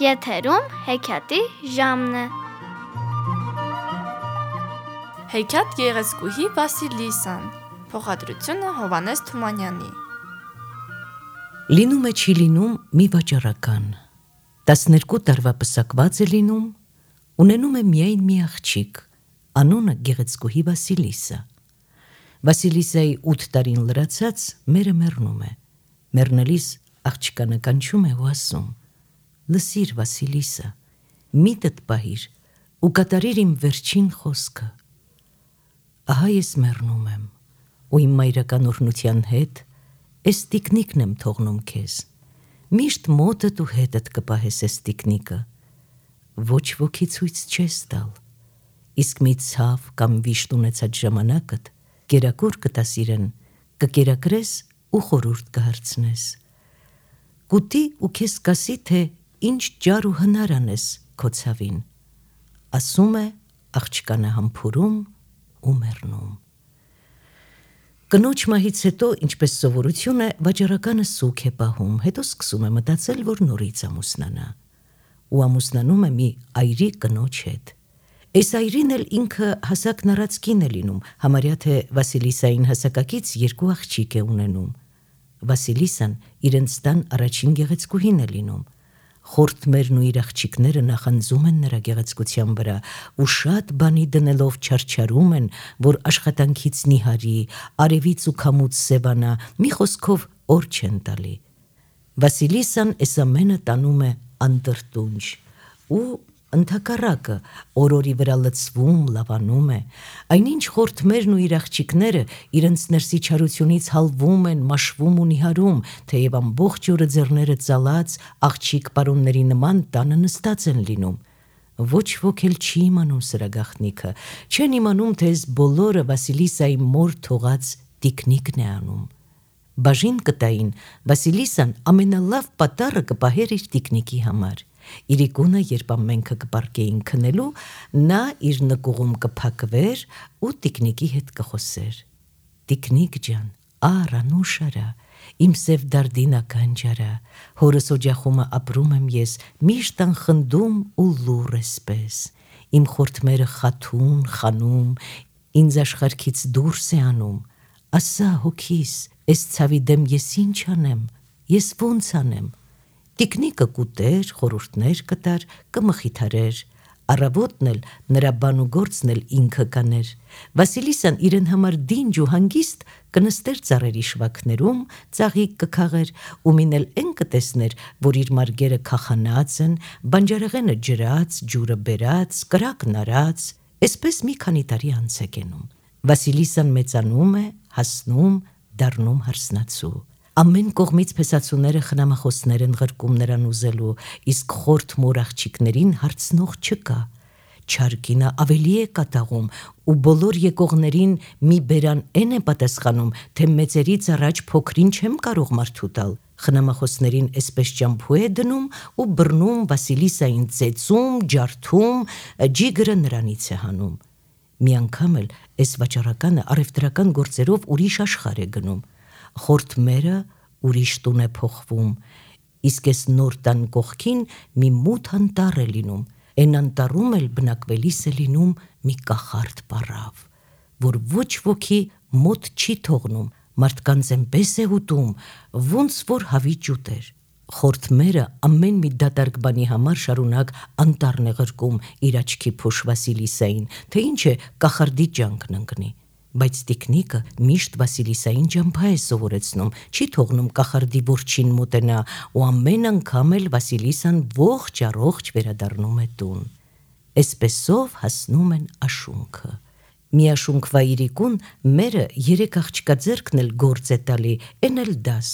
Եթերում հեքիաթի ժամն է։ Հեքիաթ գեղեցկուհի Վասիլիսան, փոխադրությունը Հովհաննես Թումանյանի։ Լինում է չի լինում մի վաճառական, 12 տարվա պսակված է լինում, ունենում է միայն մի աղջիկ, անունը գեղեցկուհի Վասիլիսա։ Վասիլիսայի 8 տարին լրացած մերը մեռնում է, մեռնելիս աղջկանը կանչում է ու ասում. «Լսիր, Վասիլիսա, միտդ պահիր ու կատարիր իմ վերջին խոսքը։ Ահա ես մեռնում եմ ու իմ մայրական օրհնության հետ էս տիկնիկն եմ թողնում քեզ, միշտ մոտդ ու հետդ կպահես էս տիկնիկը, ոչ ոքի ցույց չես տալ, իսկ մի ցավ կամ վիշտ ունեցած ժամանակդ կերակուր կտաս իրեն, կկերակրես ու խորհուրդ կհարցնես, կուտի ու քեզ կասի, թե ինչ ջար ու հնար անես քո ցավին, ասում է աղջկանը համբուրում ու մեռնում»։ Կնոջ մահից հետո, ինչպես սովորություն է, վաճառականը սուգ է պահում, հետո սկսում է մտածել, որ նորից ամուսնանա, ու ամուսնանում է մի այրի կնոջ հետ։ Այս այրին էլ ինքը հասակն առած կին է լինում, համարյա թե Վասիլիսային հասակակից 2 աղջիկ է ունենում։ Վասիլիսան իրենց տան առաջին գեղեցկուհին է լինում։ Խորթմերն ու իր աղջիկները նախանձում են նրա գեղեցկության վրա ու շատ բանի դնելով չարչարում են, որ աշխատանքից նիհարի, արևից ու քամուց սևանա, մի խոսքով օր չեն տալի։ Վասիլիսան էս ամենը տանում է անդրտունջ ու ընդհակառակը օրորի վրա լցվում, լավանում է, այնինչ խորթմերն ու իր աղջիկները իրենց ներսի չարությունից հալվում են, մաշվում ու նիհարում, թեև ամբողջ օրը ձեռները ծալած աղջիկ պարոնների նման տանը նստած են լինում։ Ոչ ոք էլ չի իմանում սրա գաղտնիքը, չեն իմանում, թե այս բոլորը Վասիլիսայի մոր թողած տիկնիկն է անում։ Բաժին կտային Վասիլիսան ամենալավ պատառը կպահեր իր տիկնիկի համար։ Իրիկունը, երբ ամենքը կպարկեին քնելու, նա իր նկուղում կփակվեր ու տիկնիկի հետ կխոսեր. «Տիկնիկ ջան, արա նուշարա, իմ սև դարդինական ջարա, հորս օջախումը ապրում եմ ես, միշտ անխնդում ու լուռ էսպես, իմ խորթմերը խաթուն, խանում, ինձ աշխարհքից դուրս է անում, ասա հոգիս, էս ցավի դեմ ես ինչ անեմ, ես ոնց անեմ»։ Տիկնիկը կուտեր, խորհուրդներ կտար, կմխիթարեր, առավոտն էլ նրա բան ու գործն էլ ինքը կաներ։ Վասիլիսան իրեն համար դինջ ու հանգիստ կնստեր ծառերի շվաքներում, ծաղիկ կքաղեր ու մին էլ էն կտեսներ, որ իր մարգերը քախանած են, բանջարեղենը ջրած, ջուրը բերած, կրակն արած, էսպես մի քանի տարի անց է կենում։ Վասիլիսան մեծանում է, հասնում, դառնում հարսնացու։ Ամեն կողմից փեսացուները խնամախոսներ են ղրկում նրան ուզելու, իսկ խորթ մոր աղջիկներին հարցնող չկա։ Չարկինը ավելի է կատաղում ու բոլոր եկողներին մի բերան էն է պատասխանում, թե մեծերից առաջ փոքրին չեմ կարող մարդու տալ։ Խնամախոսներին էսպես ճամփու է դնում ու բռնում Վասիլիսային ծեծում, ջարդում, ջիգրը նրանից է հանում։ Մի անգամ էլ էս վաճառականը առևտրական գործերով ուրիշ աշխարհ է գնում։ Խորթմերը ուրիշ տուն է փոխվում, իսկ էս նոր տան կողքին մի մութ անտառ է լինում, էն անտառում էլ բնակվելիս է լինում մի կախարդ պառավ, որ ոչ ոքի մոտ չի թողնում, մարդկանց էնպես է ուտում, ոնց որ հավիճ ուտեր։ Խորթմերը ամեն մի դատարկ բանի համար շարունակ անտառն է ղրկում իր աչքի փոշ Վասիլիսային, թե ինչ է կախարդի ջանքն ընկնի։ Բայց տիկնիկը միշտ Վասիլիսային ջամփա է սովորեցնում, չի թողնում կախարդի որջին մոտենա ու ամեն անգամ էլ Վասիլիսան ողջ առողջ վերադառնում է տուն։ Էսպեսով հասնում են աշունքը։ Մի աշունքվա իրիկուն մերը 3 աղջկա ձեռքն էլ գործ է տալի, էն էլ դաս։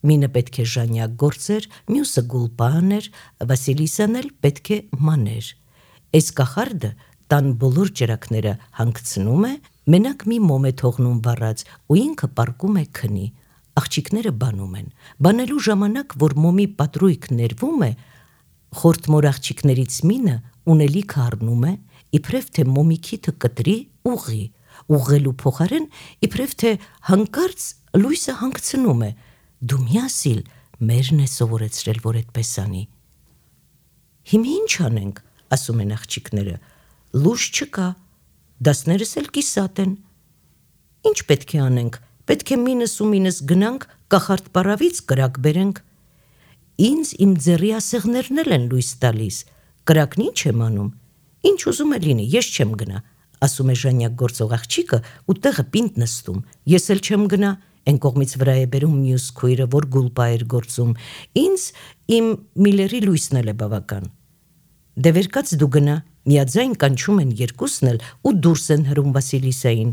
Մինը պետք է ժանյակ գործեր, մյուսը գուլպաներ, Վասիլիսան էլ պետք է մաներ։ Էս կախարդը տան բոլոր ճրակները հանգցնում է, մենակ մի մոմ է թողնում վառած ու ինքը պառկում է քնի։ Աղջիկները բանում են։ Բանելու ժամանակ, որ մոմի պատրույգ ներվում է, խորթմոր աղջիկներից մինը ունելիքը առնում է, իբրև թե մոմի քիթը կտրի ուղի, ուղղելու փոխարեն իբրև թե հանկարծ լույսը հանգցնում է. «Դու մի ասիլ, մերն է սովորեցրել, որ էդպես անի»։ Հիմա ինչ անենք, ասում են աղջիկները, լույս չկա, դասներս էլ կիսատ են։ Ինչ պետք է անենք, պետք է մինս գնանք, կախարդ պարավից կրակ բերենք։ Ինձ իմ ձեռի ասեղներն էլ են լույս տալիս, կրակն ինչ եմ անում, ինչ ուզում է լինի, ես չեմ գնա, ասում է ժանյակ գործող աղջիկը ու տեղը պինդ նստում, ես էլ չեմ գնա, են կողմից վրա է բերում մյուս քույրը, որ գուլպա էր գործում, ինձ իմ միլերի լույսն էլ է բավական։ Դե վերկաց դու գնա, միաձայն կանչում են երկուսն էլ ու դուրս են հրում Վասիլիսային։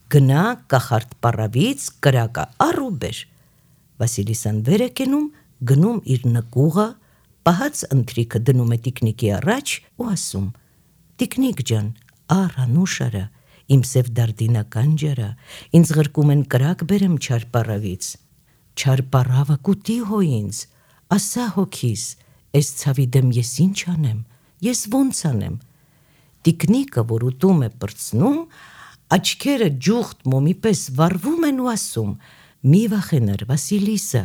Գնա կախարդ պարավից կրակը առ ու բեր։ Վասիլիսան վեր է կենում, գնում իր նկուղը, պահած ընթրիքը դնում է տիկնիկի առաջ ու ասում. Տիկնիկ ջան, առ անուշարա, իմ սև դարդինական ջարա, ինձ ղրկում են կրակ բերեմ չար պարավից։ Չար պարավը կուտի հո ինձ, ասա հոգիս, այս ցավի դեմ ես ինչ անեմ, ես ոնց անեմ։ Տիկնիկը, որ ուտում է պրծնում, աչքերը ջուղթ մոմի պես վառվում են ու ասում. մի վախենար Վասիլիսա,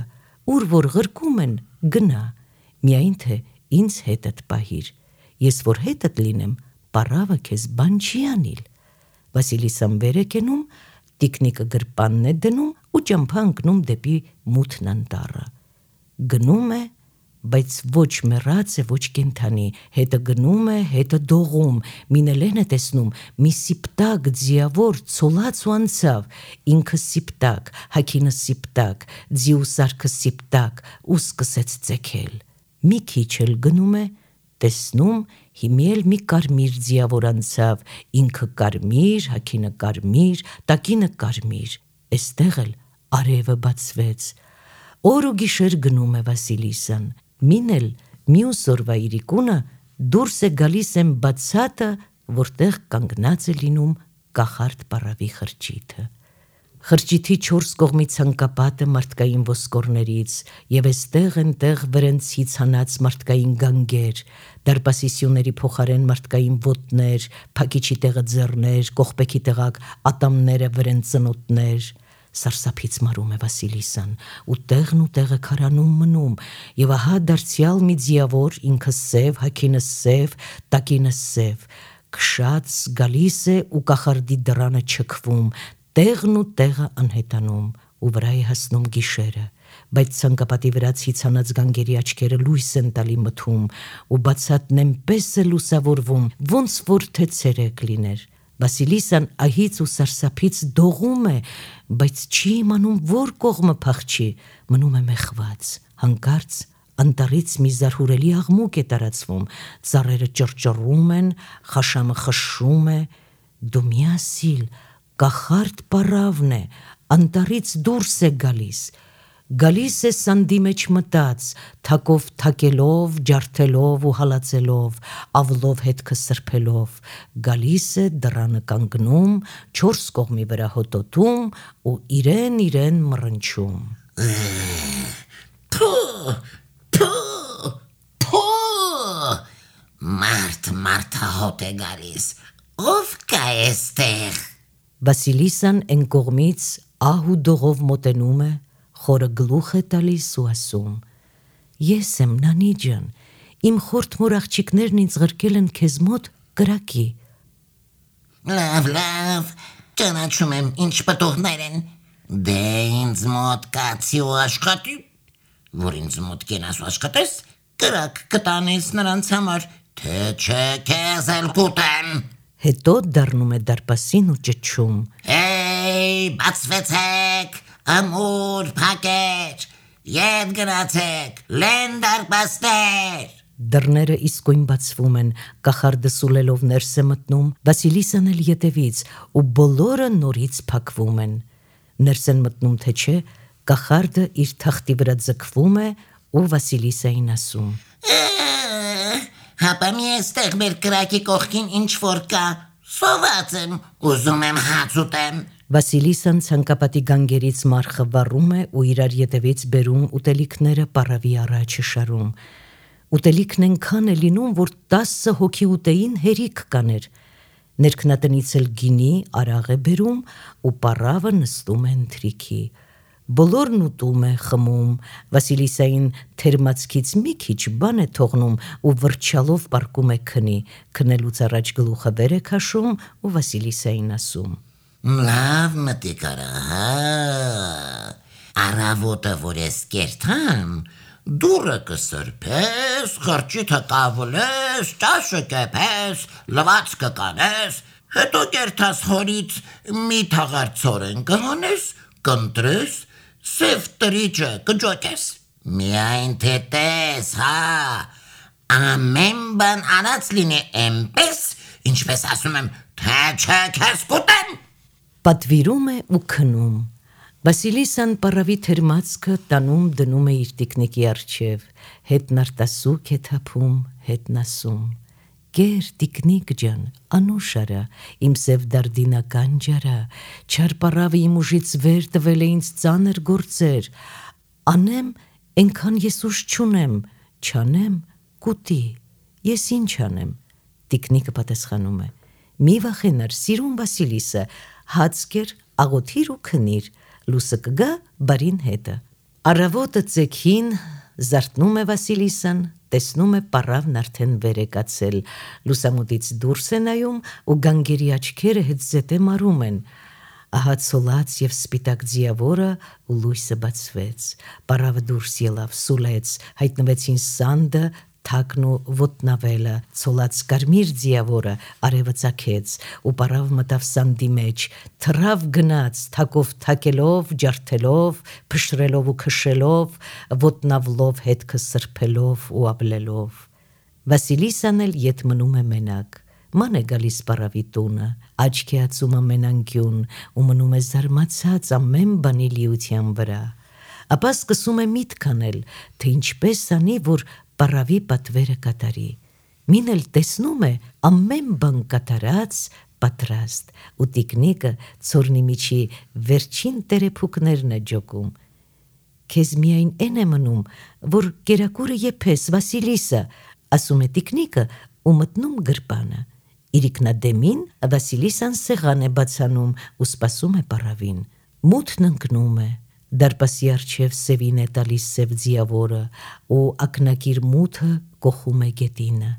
ուր որ ղրկում են, գնա, միայն թե ինձ հետդ պահիր, ես որ հետդ լինեմ, պարավը քեզ բան չի անիլ։ Վասիլիսան վեր է կենում, տիկնիկը գրպանն է դնում ու ճամփա ընկնում դեպի մութն անտառը։ Գնում է, բայց ոչ մեռած է, ոչ կենդանի, հետը գնում է, հետը դողում, մինելեն է տեսնում, մի սիպտակ ձիավոր ցոլած ու անցավ, ինքը սիպտակ, հագինը սիպտակ, ձիու սարքը սիպտակ ու սկսեց ծեքել։ Մի քիչ էլ գնում է, տեսնում, հիմի էլ մի կարմիր ձիավոր անցավ, ինքը կարմիր, հագինը կարմիր, տակինը կարմիր, էստեղ էլ արևը բացվեց։ Օր ու գիշեր գնում է Վասիլիսան, մին էլ մյուս օրվա իրիկունը դուրս է գալիս են բացատը, որտեղ կանգնած է լինում կախարդ պարավի խրճիթը։ Խրճիթի 4 կողմի ցանկապատը մարդկային ոսկորներից եւ այստեղ ընտեղ վրենցից հանած մարդկային գանգեր, դարպասի սյուների փոխարեն մարդկային ոտներ, փակիչի տեղը ձեռներ, կողպեքի տեղակ ատամները վրենցնոտներ։ Սարսափից մարում է Վասիլիսան, ու տեղը քարանում մնում, եւ ահա դարձյալ մի ձիավոր, ինքը սև, հագինը սև, տակինը սև, քշած գալիս է ու կախարդի դռանը չքվում, տեղը անհետանում, ու վրա է հասնում գիշերը, բայց ցանկապատի վրա ցիցանած գանգերի աչքերը լույս են տալի մթում, ու բացատն այնպես է լուսավորվում, ոնց որ թե ցերեկ լիներ։ Վասիլիսան ահից ու սարսափից դողում է, բայց չի իմանում որ կողմը փախչի, մնում է մեխված, հանկարծ անտառից մի զարհուրելի աղմուկ է տարածվում, ծառերը ճռճռում են, խաշամը խշշում է, դու մի ասիլ, կախարդ պարավն է, անտառից դուրս է գալիս է սանդի մեջ մտած, թակով թակելով, ջարդելով ու հալածելով, ավլով հետքը սրբելով, գալիս է դռանը կանգնում, 4 կողմի վրա հոտոտում ու իրեն մռնչում։ Մարդահոտ է գալիս, ով կա էստեղ։ Վասիլիսան են կողմից ահ ու դողով մոտենում է, խորը գլուխ է տալիս ու ասում. Ես եմ նանի ջան, իմ խորթմոր աղջիկներն ինձ ղրկել են քեզ մոտ կրակի։ Լավ, ճանաչում եմ ինչ պտուղներ են, դե ինձ մոտ կացի ու աշխատի, որ ինձ մոտ կենաս ու աշխատես, կրակ կտանես նրանց համար, թե չէ քեզ էլ կուտեմ։ Հետո դառնում է դարպասին ու ճչում. Բացվեցեք, ամուր փակեր, ետ գնացեք, լեն դարպասներ։ Դռները իսկույն բացվում են, կախարդը սուլելով ներս է մտնում, Վասիլիսան էլ ետևից, ու բոլորը նորից փակվում են։ Ներս են մտնում թե չէ, կախարդը իր թախտի վրա ձգվում է ու Վասիլիսային ասում. Հապա մի էստեղ մեր կրակի կողքին ինչ որ կա, սոված եմ, ուզում եմ հաց ուտեմ։ Վասիլիսան ցանկապատի գանգերից մարխը վառում է ու իրար ետևից բերում ուտելիքները պարավի առաջը շարում։ Ուտելիքն այնքան է լինում, որ 10 հոգի ուտեին հերիք կաներ։ Ներքնատնից էլ գինի, արաղ է բերում ու պարավը նստում է ընթրիքի։ բոլորն ուտում է, խմում, Վասիլիսային թերմացքից մի քիչ բան է թողնում ու վրճալով պարկում է քնի, քնելուց առաջ գլուխը վեր է քաշում ու Վասիլիսային ասում. Լավ մտիկ արա, առավոտը որ ես կերթամ, դուրը կսրբես, խրճիթը կավլես, ճաշը կեփես, լվացքը կանես, հետո կերթաս հորից մի թաղար ցորեն կհանես, կընտրես, սև տրիճը կջոկես, միայն թե տես, ամեն բան անած լինի էնպես, ինչպես ասում եմ, թե չէ քեզ կուտեմ։ Պատվիրում է ու քնում։ Վասիլիսան պարավի թերմացքը տանում դնում է իր տիկնիկի առջև, հետն արտասուք է թափում, հետն ասում. Գեր տիկնիկ ջան, անուշ արա, իմ սև դարդինական ջարա, չար պարավը իմ ուժից վեր տվել է ինձ ծանր գործեր, անեմ, ենքան ես ուժ չունեմ, չանեմ, կուտի, ես ինչ անեմ։ Տիկնիկը պատասխանում է. մի վախենար, սիրուն Վասիլիսը, հացկեր, աղոթիր ու քնիր, լուսը կգա բարին հետը։ Առավոտը ծեքին զարթնում է Վասիլիսան, տեսնում է պարավն արդեն վեր է կացել, լուսամուտից դուրս է նայում ու գանգերի աչքերը հետ զետե մարում են։ Ահա ցոլած և սպիտակ ձիավորը ու լույսը բացվեց, պարավը դուրս ելավ, սուլեց, հայտնվեցին սանդը, թակն ու ոտնավելը, ցոլած կարմիր ձիավորը արևը ծագեց ու պարավ մտավ սանդի մեջ, թռավ գնաց, թակով թակելով, ջարդելով, փշրելով ու քշելով, ոտնավլով հետքը սրբելով ու ապլելով։ Վասիլիսան էլ ետ մնում է մենակ, ման է գալիս պարավի տունը, աչք է ածում ամենանկյուն ու մնում է զարմացած ամեն բանի լիության վրա, ապա սկսում է միտք անել, թե ինչպես անի, որ պարավի պատվերը կատարի, մին էլ տեսնում է ամեն բան կատարած, պատրաստ, ու տիկնիկը ցորնի միջի վերջին տերեփուկներն է ջոկում։ Քեզ միայն են է մնում, որ կերակուրը եփես, Վասիլիսը, ասում է տիկնիկը ու մտնում գրպանը։ Իրիկնադեմին Վասիլիսան սեղան է բացանում ու սպասում է պարավին։ Մութն ընկնում է, դարպասի առջև սևին է տալիս սև ձիավորը ու ակնակիր մութը կոխում է գետինը։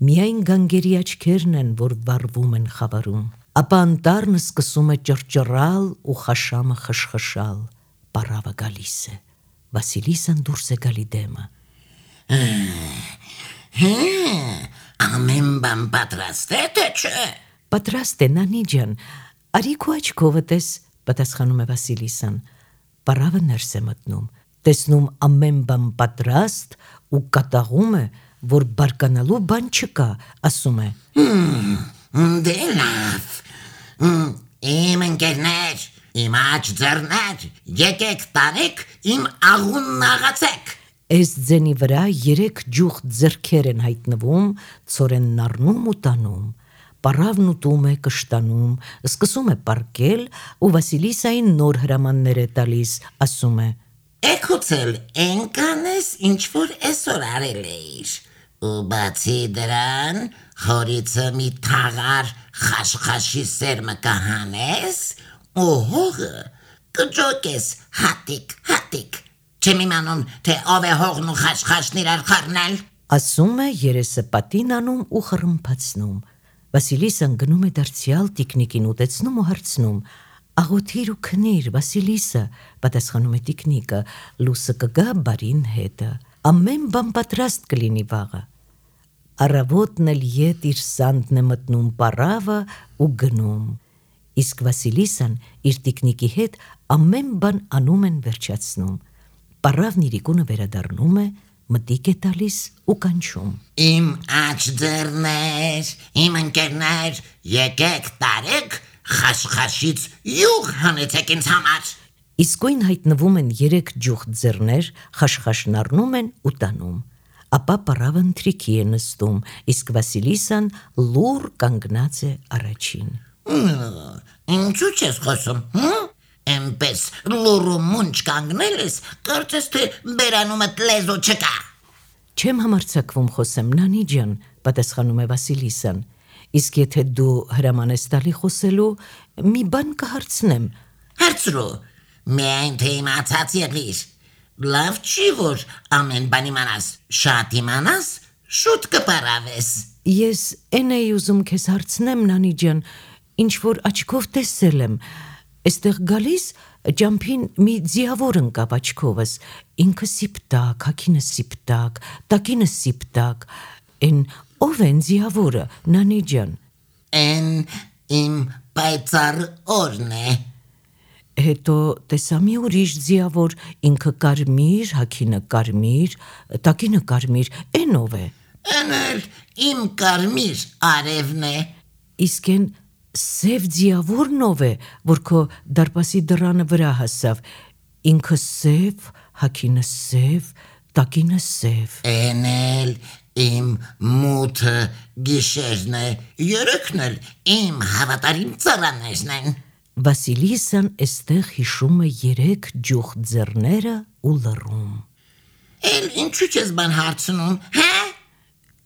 Միայն գանգերի աչքերն են, որ վառվում են խավարում։ Ապա անտառն սկսում է ճռճռալ ու խաշամը խշխշալ։ Պարավը գալիս է։ Վասիլիսան դուրս է գալի դեմը։ Ամեն բան պատրաստ է, թե չէ։ Պատրաստ է, նանի ջան, արի քո աչքովը տես, պատասխանում է Վասիլիսան։ Պարավը ներս է մտնում, տեսնում ամեն բան պատրաստ ու կատաղում է, որ բարկանալու բան չկա, ասում է. Դե լավ, իմ ընկերներ, իմ աջ ձեռներ, եկեք տարեք իմ աղունն աղացեք։ Այս ձենի վրա 3 ջուղ ձեռքեր են հայտնվում, ցորենն առնում ու տանում։ Պարավն ուտում է, կշտանում, սկսում է պարկել ու Վասիլիսային նոր հրամաններ է տալիս, ասում է. Էքուցել ենկանես ինչ որ այսօր արել էիր, ու բացի դրան հորիցը մի թաղար խաշխաշի սերմը կհանես ու հողը կջոկես հատիկ, չեմ իմանում, թե ով է հողն ու խաշխաշն իրար խառնել։ Ասում է, երեսը պատին անում ու խռմփացնում։ Վասիլիսան գնում է դարձյալ տիկնիկին ուտեցնում ու հարցնում. Աղոթիր ու քնիր, Վասիլիսը, պատասխանում է տիկնիկը, լուսը կգա բարին հետը, ամեն բան պատրաստ կլինի վաղը։ Առավոտն էլ ետ իր սանդն է մտնում պարավը ու գնում, իսկ Վասիլիսան իր տիկնիկի հետ ամեն բան անում են վերջացնում։ Պարավն իրիկունը վերադառնում է, մտիկ է տալիս ու կանչում. Իմ աջ ձեռներ, իմ ընկերներ, եկեք տարեք խաշխաշից յուղ հանեցեք ինձ համար։ Իսկույն հայտնվում են 3 ջուղ ձեռներ, խաշխաշն առնում են ու տանում։ Ապա պարավը ընթրիքի է նստում, իսկ Վասիլիսան լուռ կանգնած է առաջին։ Ինչու չես խոսում, Էնպես լուրու մունչ կանգնել ես, կարծես թե բերանումդ լեզու չկա։ Չեմ համարձակվում խոսեմ, նանի ջան, պատասխանում է Վասիլիսան, իսկ եթե դու հրաման ես տալի խոսելու, մի բան կհարցնեմ։ Հարցրու, միայն թե իմացած եղիր։ Լավ չի, որ ամեն բան իմանաս, շատ իմանաս, շուտ կպարավես։ Ես էն էի ուզում քեզ հարցնեմ, Նանի ջան, ինչ որ աչքով տեսել եմ։ Այստեղ գալիս ջամփին մի ձիավոր ընկավ աչքովս, ինքը սիպտակ, հագինը սիպտակ, տակինը սիպտակ։ Էն ով են ձիավորը, Նանի ջան։ Էն իմ պայծառ օրն է։ Հետո տեսա մի ուրիշ ձիավոր, ինքը կարմիր, հագինը կարմիր, տակինը կարմիր, էն ով է։ Էն էլ իմ կարմիր արևն է։ Իսկ էն սև ձիավորն ով է, որ քո դարպասի դռանը վրա հասավ, ինքը սև, հագինը սև, տակինը սև։ Էն էլ իմ մութը գիշերն է, երեքն էլ իմ հավատարիմ ծառաներն են։ Վասիլիսան էստեղ հիշում է 3 ջուխ ձեռները ու լռում։ Էլ ինչու չես բան հարցնում, հա։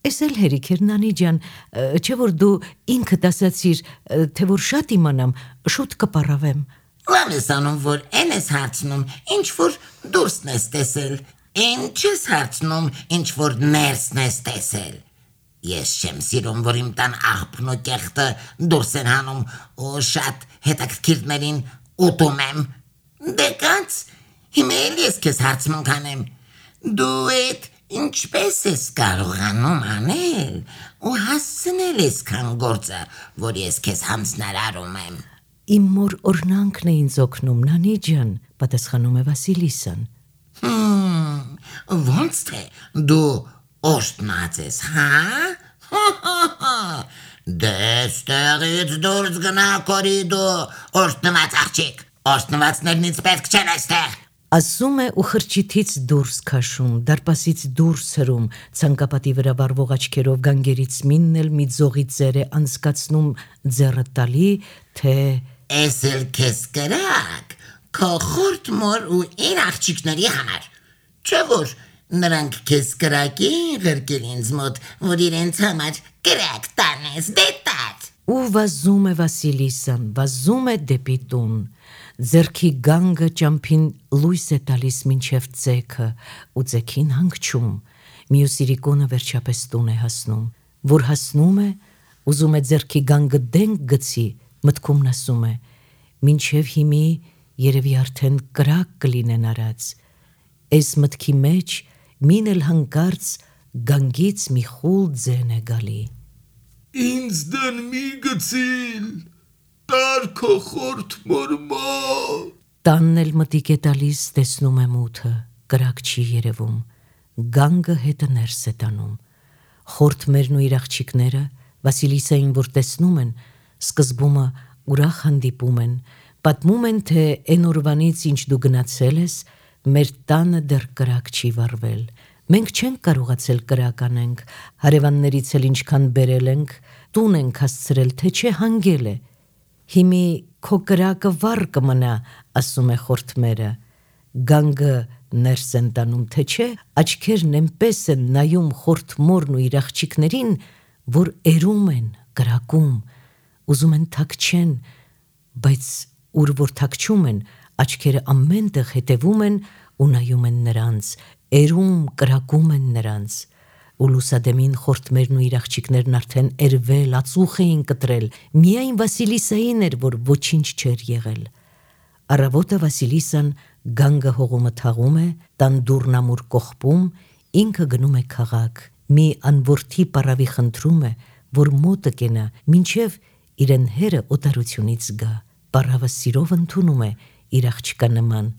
Էս էլ հերիք էր, Նանի ջան, չէ որ դու ինքդ ասացիր, թե որ շատ իմանամ, շուտ կպարավեմ։ Լավ ես անում, որ էն ես հարցնում, ինչ որ դուրսն ես տեսել, ինչ ես հարցնում, ինչ որ ներսն ես տեսել։ Ես չեմ սիրում, որ իմ տան աղբն ու կեղտը դուրս են հանում ու շատ հետաքրքիրներին ուտում եմ։ Դե կաց, հիմա էլ ես քեզ հարցնում կանեմ, դու էդ ինչպես ես կարողանում անել ու հասցնել այսքան գործը, որ ես քեզ հանձնարարում եմ։ Իմ մոր օրհնանքն է ինձ օգնում, Նանի ջան, պատասխանում է Վասիլիսան։ Ոնց թե դու օրհնած ես, հա։ Դե ստեղից դուրս գնա կորիդու, օրհնված աղջիկ, օրհնվածներնից պետք չեն այստեղ։ Ասում է ու խրճիթից դուրս քաշում, դարպասից դուրս հրում, ցանկապատի վրա վառվող աչքերով գանգերից մինն էլ մի ձողի ծեր է անցկացնում ձեռը տալի, թե Էս էլ քեզ կրակ, քո խորտ մոր ու իր աղջիկների համար։ Չէ որ նրանք քեզ կրակին ղրկել ինձ մոտ, որ իրենց համար կրակ տանես, դե տար։ ու վազում է Վասիլիսան, վազում է դեպի տուն։ Ձեռքի գանգը ճամփին լույս է տալիս մինչև ձեքը ու ձեքին հանգչում։ Մյուս իրիկոնը վերջապես տուն է հասնում։ Որ հասնում է, ուզում է ձեռքի գանգը դենք գցի, մտքումն ասում է. մինչև հիմի երևի արդեն կրակ կլինեն արած։ Այս մտքի մեջ մին էլ հանկարծ գանգից մի խուլ ձեն է գալի։ Ինձ դեն մի գցիլ, տար քո խորտ մորմա։ Տանն էլ մտիկ է տալիս, տեսնում է մութը, կրակ չի երևում, գանգը հետը ներս է տանում։ Խորթմերն ու իր աղջիկները Վասիլիսային որ տեսնում են, սկզբումը ուրախ հանդիպում են, պատմում են, թե էն օրվանից ինչ դու գնացել ես, մեր տանը դեռ կրակ չի վառվել։ Մենք չենք կարողացել կրակ անենք, հարևաններից էլ ինչքան բերել ենք, տուն ենք հասցրել, թե չէ հանգել է։ Հիմի քո կրակը վառ կմնա, ասում է խորթմերը։ Գանգը ներս են տանում, թե չէ, աչքերն այնպես են նայում խորթմորն ու իր աղջիկներին, որ էրում են, կրակում, ուզում են թաքչեն, բայց ուր որ թաքչում են, աչքերը ամենտեղ հետևում են ու նայում են նրանց, էրում, կրակում են նրանց։ Ու լուսադեմին խորթմերն ու իր աղջիկներն արդեն էրվել, ածուխ էին կտրել, միայն Վասիլիսային էր, որ ոչինչ չէր եղել։ Առավոտը Վասիլիսան գանգը հողումը թաղում է, տան դուռնամուր կողպում, ինքը գնում է քաղաք, մի անորդի պարավի խնդրում է, որ մոտը կենա, մինչև իրեն հերը օտարությունից գա, պարավը սիրով ընդունում է իր աղջկա նման։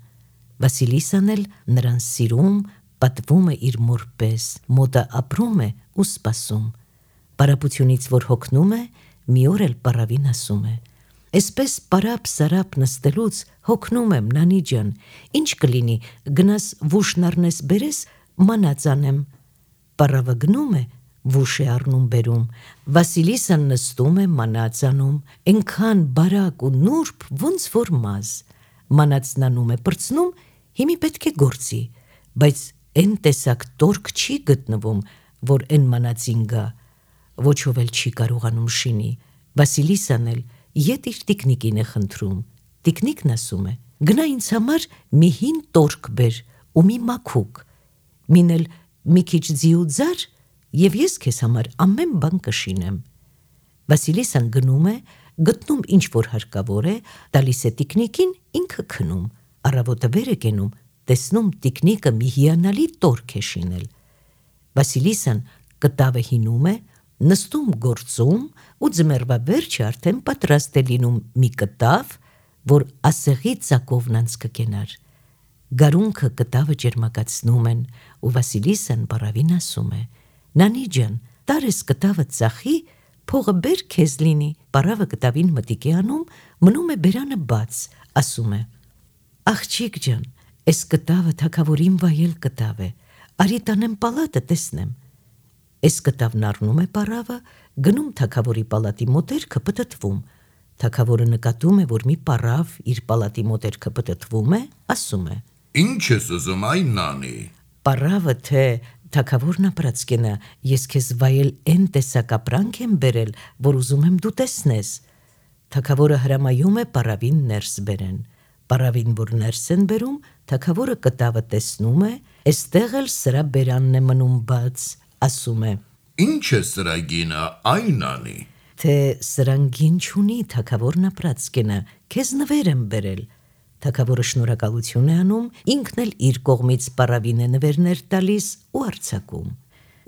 Վասիլիսան էլ նրան սիրում, պատվում է իր մոր պես, մոտը ապրում է ու սպասում։ Պարապությունից որ հոգնում է, մի օր էլ պարավին ասում է. Այսպես պարապ-սարապ նստելուց հոգնում եմ, Նանի ջան, ինչ կլինի, գնաս վուշն առնես բերես, մանած անեմ։ Պարավը գնում է, վուշ է առնում բերում, Վասիլիսան նստում է մանած անում, ենքան բարակ ու նուրբ, ոնց որ մազ, մանածն անում է պրծնում, հիմի պետք է գործի, բայց են տեսակ տորք չի գտնվում, որ են մանածին գա, ոչով էլ չի կարողանում շինի, Վասիլիսան էլ ետ իր տիկնիկին է խնդրում, տիկնիկն ասում է, Գնա ինձ համար մի հին տորք բեր ու մի մաքուկ, մին էլ մի քիչ ձի ու ձար, և ես քեզ համար ամեն բան կշինեմ։ Վասիլիսան գնում է, գտնում ինչ որ հարկավոր է, տալիս է տիկնիկին, ինքը քնում, առավոտը վեր է կենում, տեսնում տիկնիկը մի հիանալի տորք է շինել։ Վասիլիսան կտավը հինում է, նստում գործում ու ձմեռվա վերջը արդեն պատրաստ է լինում մի կտավ, որ ասեղի ծակովն անց կկենար։ Գարունքը կտավը ջերմակացնում են ու Վասիլիսան պարավին ասում է. «Նանի ջան, տար ես կտավը ծախի, փողը բեր քեզ լինի»։ Պարավը կտավին մտիկ է անում, մնում է բերանը բաց, ասում է. «Աղջիկ ջան, էս կտավը թագավորին վայել կտավ է, արի տանեմ պալատը տեսնեմ»։ Էս կտավն առնում է պարավը, գնում թագավորի պալատի մոտերքը պտտվում։ Թագավորը նկատում է, որ մի պարավ իր պալատի մոտերքը պտտվում է, ասում է. Ինչ ես ուզում, այ նանի։ Պարավը թե թագավորն ապրած կենա, ես քեզ վայել են տեսակ ապրանք եմ բերել, որ ուզում եմ դու տեսնես։ Թագավորը հրամայում է պարավին ներս բերեն։ Պարավին, որ ներս են բերում, թագավորը կտավը տեսնում է, էստեղ էլ սրա բերանն է մնում բաց, ասում է. Ինչ է սրա գինը, այ նանի։ Թե սրան գին չունի, թագավորն ապրած կենա, քեզ նվեր եմ բերել։ Թագավորը շնորհակալություն է անում, ինքն էլ իր կողմից պարավին է նվերներ տալիս ու արձակում։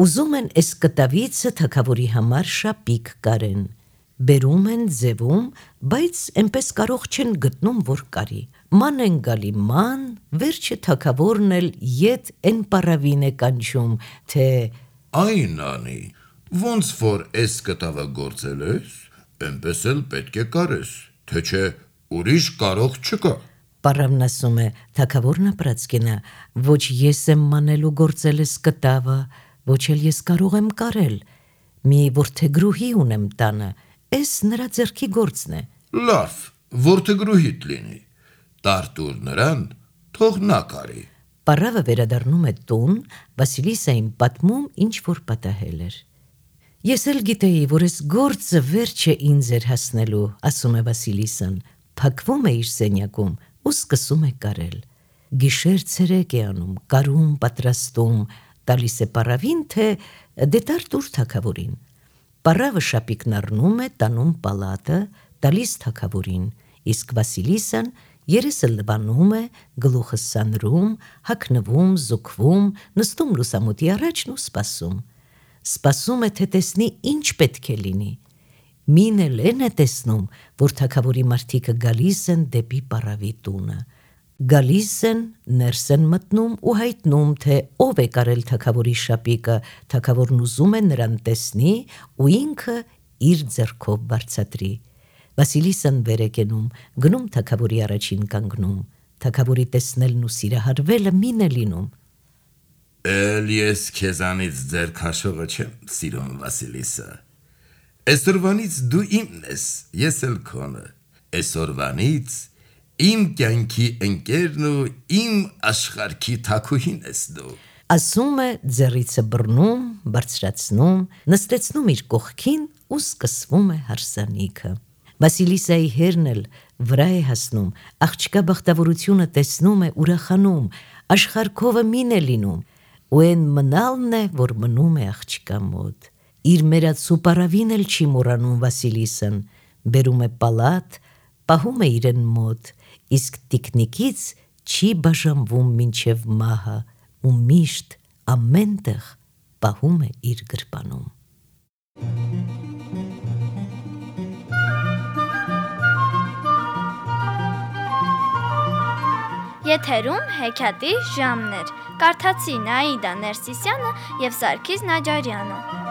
Ուզում են էս կտավիցը թագավորի համար շապիկ կարեն։ Բերում են, ձևում, բայց այնպես կարող չեն գտնում, որ կարի։ Ման են գալի ման, վերջը թագավորն էլ ետ են պարավին է կանչում, թե Այ նանի, ոնց որ էս կտավը գործել ես, այնպես էլ պետք է կարես, թե չէ ուրիշ կարող չկա։ Պարավն ասում է, թագավորն ապրած կենա, ոչ ես եմ մանելու գործել ես կտավը, ոչ էլ ես կարող եմ կարել։ Մի որդեգրուհի ունեմ տանը, էս նրա ձեռքի գործն է։ Լավ, որդեգրուհիդ լինի, տարտուր նրան, թող նա կարի։ Պարավը վերադառնում է տուն, Վասիլիսային պատմում, ինչ որ պատահել էր։ Ես էլ գիտեի, որ ես գործը վերջ է ինձ էր հասնելու, ասում է Վասիլիսան, փակվում է իր սենյակում ու սկսում է կարել։ Գիշեր ցերեկ է անում, կարում, պատրաստում, տալիս է պարավին, թե դե տարտուր թագավորին։ Պարավը շապիկն առնում է, տանում պալատը, տալիս թագավորին, իսկ Վասիլիսան երեսը լվանում է, գլուխը սանրում, հագնվում, զուգվում, նստում լուսամուտի առաջն ու սպասում։ Սպասում է, թե տեսնի ինչ պետք է լինի։ Մին էլ են է տեսնում, որ թագավորի մարդիկը գալիս են դեպի պարավի տունը։ Գալիս են, ներս են մտնում ու հայտնում, թե ով է կարել թագավորի շապիկը, թագավորն ուզում է նրան տեսնի ու ինքը իր ձեռքով բարձատրի։ Վասիլիսան վեր է կենում, գնում թագավորի առաջին կանգնում, թագավորի տեսնելն ու սիրահարվելը մին է լինում։ Էլ ես քեզանից ձեր քաշողը չեմ սիրում, Վասիլիսա։ Այսօրվանից դու իմն ես, ես էլ քոնը։ Այսօրվանից իմ կյանքի ընկերն ու իմ աշխարհքի թագուհին ես դու։ Ասում է, ձեռիցը բռնում, բարձրացնում, նստեցնում իր կողքին ու սկսվում է հարսանիքը։ Վասիլիսայի հերն էլ վրա է հասնում, աղջկա բախտավորությունը տեսնում է, ուրախանում, աշխարհքովը մին է լինում, ու այն մնալն է, որ մնում է աղջկա մոտ։ Իր մերացու պարավին էլ չի մոռանում Վասիլիսան, բերում է պալատ, պահում է իրեն մոտ, իսկ տիկնիկից չի բաժանվում մինչև մահը ու միշտ ամենտեղ պահում է իր գրպանում։ Եթերում հեքիաթի ժամն էր։ Կարդացին Աիդա Ներսիսյանը և Սարգիս Նաջարյանը։